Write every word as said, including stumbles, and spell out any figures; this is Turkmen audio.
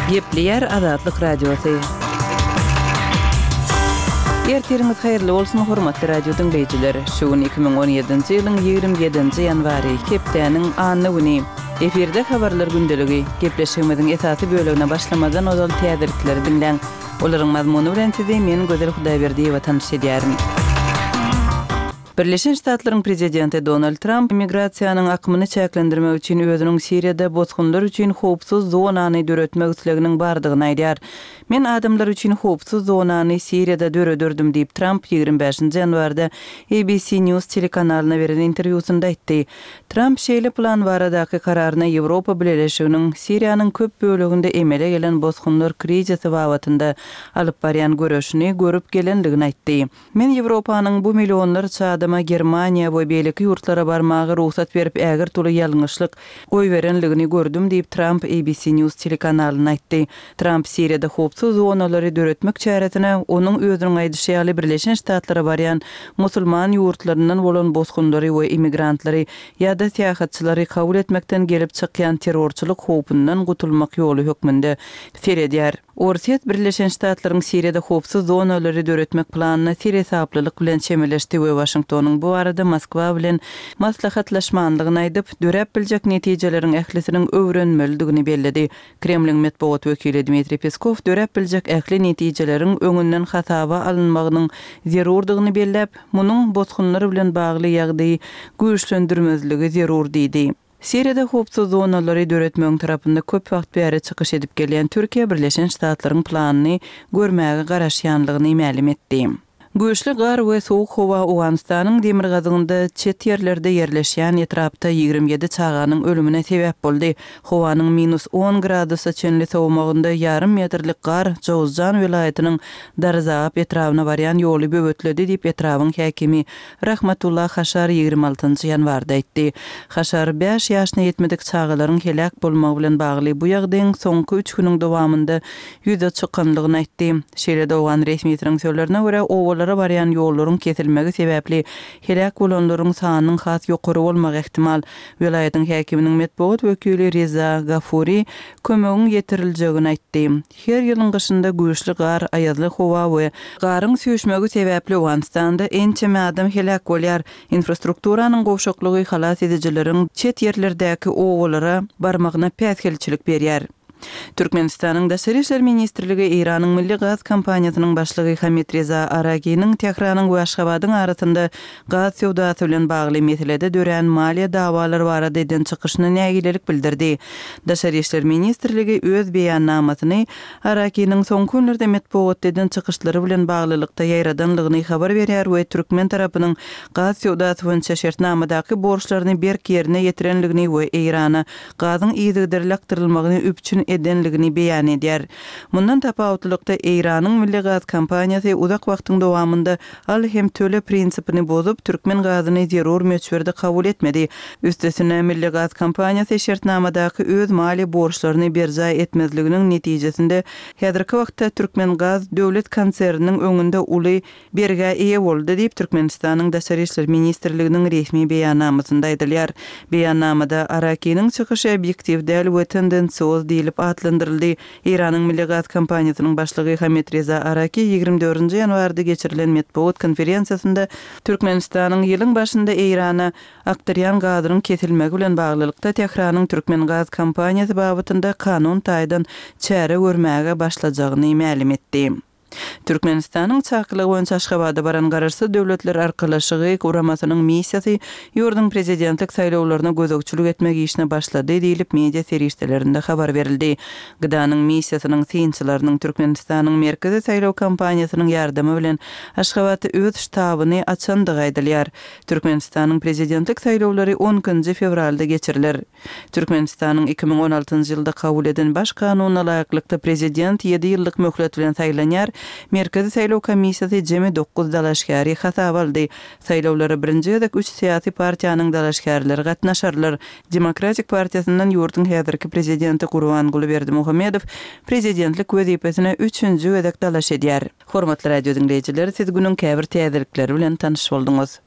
Gepleýär Azatlyk Radiosy. Ertiriňiz haýyrly bolsun, hormatly radio diňleýjiler! Şu gün iki müň on ýedinji ýylyň ýigrimi ýedinji ýanwary, hepdäniň anna güni. Efirde Habarlar gündeligi. Gepleşigimiziň esasy bölegine başlamazdan ozal täzelikleri diňläň. Olaryň mazmuny bilen sizi men Gözel Hudaýberdiýewa tanyş edýärin. Birleşen Ştatlaryň prezidenti Donald Tramp migrasiýanyň akymyny çäklendirmek üçin özüniň Siriýada bosgunlar üçin howpsuz zonany döretmek isleginiň bardygyny aýdýar. Men adamlar üçin howpsuz zonany Siriýada dörederdim diýip, Tramp ýigrimi bäşinji ýanwarda A B C News telekanalyna beren interwýusynda aýtdy. Tramp şeýle plan baradaky kararyna Ýewropa Bileleşiginiň Siriýanyň köp böleginde emele gelen bosgunlar krizisi babatynda alyp barýan göreşini görüp gelendigini aýtdy. Men Ýewropanyň bu millionlarça adama Germaniýa we beýleki ýurtlara barmaga rugsat berip ägirt uly ýalňyşlyk goýberenligini gördüm diýip Tramp A B C News telekanalyna aýtdy. Tramp Siriýada howpsuz zonalary döretmek çäresine onuň özüniň aýdyşy ýaly Birleşen Ştatlara barýan musulman ýurtlaryndan bolan bosgunlary we immigrantlary ýa-da syýahatçylary kabul etmekden gelip çykýan terrorçylyk howpundan gutulmak ýoly hökmünde seredýär. Orsýet Birleşen Ştatlaryň Siriýada howpsuz zonalary döretmek planyna seresaplylyk bilen çemeleşdi we Waşingtonyň bu arada Moskwa bilen maslahatlaşmanlygyny aýdyp, döräp biljek netijeleriň ählisiniň öwrenmelidigini belledi. Kremliň metbugat wekili Dmitriý Peskow döräp biljek ähli netijeleriň öňünden hasaba alynmagynyň zerurdygyny belläp, munuň bosgunlar bilen bagly ýagdaýy güýçlendirmezligi zerur diýdi. Siriýada howpsuz zonalary döretmegiň tarapynda köp wagt bäri çykyş edip gelýän Türkiýe Birleşen Ştatlaryň planyny görmäge garaşýanlygyny mälim etdi. Güýçli gar we sowuk howa Owganystanyň demirgazygynda çet ýerlerde ýerleşýän etrapda ýigrimi ýedi çaganyň ölümine sebäp boldy. Howanyň minus on gradusa çenli sowmagynda ýarym metrlik gar Jowzjan welaýatynyň Darzap etrabyna barýan ýoly böwetledi diýip etrabyň häkimi Rahmatullah Haşar ýigrimi altynjy ýanwarda aýtdy. Haşar bäş ýaşyna ýetmedik çagalaryň heläk bolmagy bilen bagly bu ýagdaýyň soňky üç günüň dowamynda ýüze çykanlygyny aýtdy. Şeýle-de owgan resmisiniň sözlerine görä owalara barýan ýollaryň kesilmegi sebäpli heläk bolanlaryň sanynyň has ýokary bolmagy ähtimal. Welaýatyň häkiminiň metbugat wekili Reza Gafuri kömegiň ýetiriljegini aýtdy. Her ýylyň gyşynda güýçli gar, aýazly howa we garyň süýşmegi sebäpli Owganystanda ençeme adam heläk bolýar. Infrastrukturanyň gowşaklygy halas edijileriň çet ýerlerdäki owalara barmagyna päsgelçilik berýär. Türkmenistanyň Daşary işler ministrligi Eýranyň Milli Gaz kompaniýasynyň başlygy Hamid Reza Araginiň Tähranyň we Aşgabadyň arasynda gaz söwdasy bilen bagly meselede dörän maliýe dawalary barada eden çykyşyna nägilelik bildirdi. Daşary işler ministrligi öz beýannamasyny Araginiň soňky günlerde metbugatda eden çykyşlary bilen baglylykda ýaýradanlygyny habar berýär we türkmen tarapynyň gaz söwdasy boýunça şertnamadaky borçlaryny berk ýerine ýetirenligini we Eýrana gazyň yzygiderli akdyrylmagyny üpjün edenligini beýan edýär. Mundan tapawutlylykda Eýranyň Milli Gaz kompaniýasy uzak wagtyň dowamynda al hem töle prinsipini bozup, türkmen gazyny zerur möçberde kabul etmedi. Üstesine Milli Gaz kompaniýasy şertnamadaky öz maliýe borçlaryny berjaý etmezliginiň netijesinde häzirki wagtda Türkmen Gaz döwlet konserniniň öňünde uly bergä eýe boldy diýip Türkmenistanyň Daşary işler ministrliginiň resmi beýannamasynda aýdylýar. Beýannamada Arakiniň çykyşy obýektiw däl we tendensioz diýlip atlandyryldy. Eýranyň Milli Gaz kompaniýasynyň başlygy Hamid Reza Araki ýigrimi dördünji ýanwarda geçirilen metbugat konferensiýasynda Türkmenistanyň ýylyň başynda Eýrana akdyrýan gazynyň kesilmegi bilen baglylykda Tähranyň Türkmen Gaz kompaniýasy babatynda kanun taýdan çäre görmäge başlajagyny mälim etdi. Türkmenistanyň çakylygy boýunça Aşgabada baran Garaşsyz Döwletler Arkalaşygy guramasynyň missiýasy ýurduň prezidentlik saýlawlaryna gözegçilik etmek işine başlady diýlip media serişdelerinde habar berildi. Gdanyň missiýasynyň synçylarynyň Türkmenistanyň Merkezi saýlaw kampaniýasynyň ýardamy bilen Aşgabatda öz ştabyny açandygy aýdylýar. Türkmenistanyň prezidentlik saýlawlary on ikinji fewralda geçiriler. Türkmenistanyň iki müň on altynjy ýylda kabul eden baş kanunyna laýyklykda prezident ýedi ýyllyk möhlet bilen saýlanýar. Merkezi saýlaw komissiýasy jemi dokuz dalaşgäri hasaba aldy. Saýlawlara birinji gezek üç syýasy partiýanyň dalaşgärleri gatnaşarlar. Demokratik partiýasyndan ýurduň häzirki prezidenti Gurbanguly Berdimuhamedow prezidentlik wezipesine üçünji gezek dalaş edýär. Hormatly radio diňleýjiler, siz günüň käbir täzelikleri bilen tanyş bolduňyz.